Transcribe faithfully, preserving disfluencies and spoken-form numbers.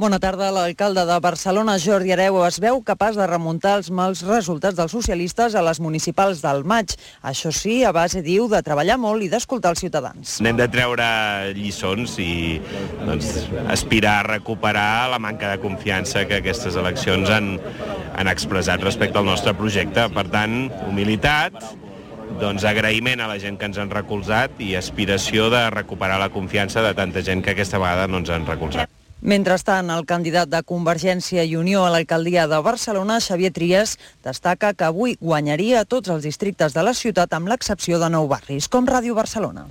Bona tarda. L'alcalde de Barcelona, Jordi Hereu, es veu capaç de remuntar els mals resultats dels socialistes a les municipals del maig. Això sí, a base, diu, de treballar molt i d'escoltar els ciutadans. N'hem de treure lliçons i doncs, aspirar a recuperar la manca de confiança que aquestes eleccions han, han expressat respecte al nostre projecte. Per tant, humilitat, doncs agraïment a la gent que ens han recolzat i aspiració de recuperar la confiança de tanta gent que aquesta vegada no ens han recolzat. Mentrestant, el candidat de Convergència i Unió a l'alcaldia de Barcelona, Xavier Trias, destaca que avui guanyaria tots els districtes de la ciutat amb l'excepció de nou barris, com Ràdio Barcelona.